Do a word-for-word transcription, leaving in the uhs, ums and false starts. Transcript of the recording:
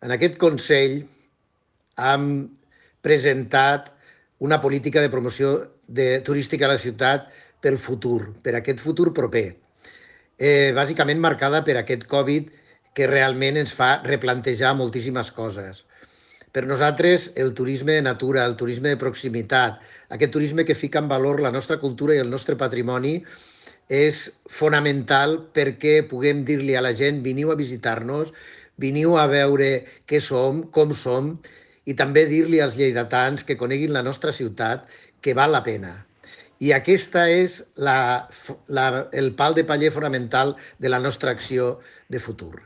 En aquest Consell hem presentat una política de promoció de, turística a la ciutat pel futur, per aquest futur proper, eh, bàsicament marcada per aquest Covid que realment ens fa replantejar moltíssimes coses. Per nosaltres, el turisme de natura, el turisme de proximitat, aquest turisme que fica en valor la nostra cultura i el nostre patrimoni, és fonamental perquè puguem dir-li a la gent veniu a visitar-nos, veniu a veure què som, com som, i també dir-li als lleidatans que coneguin la nostra ciutat, que val la pena. I aquesta és la, la, el pal de paller fonamental de la nostra acció de futur.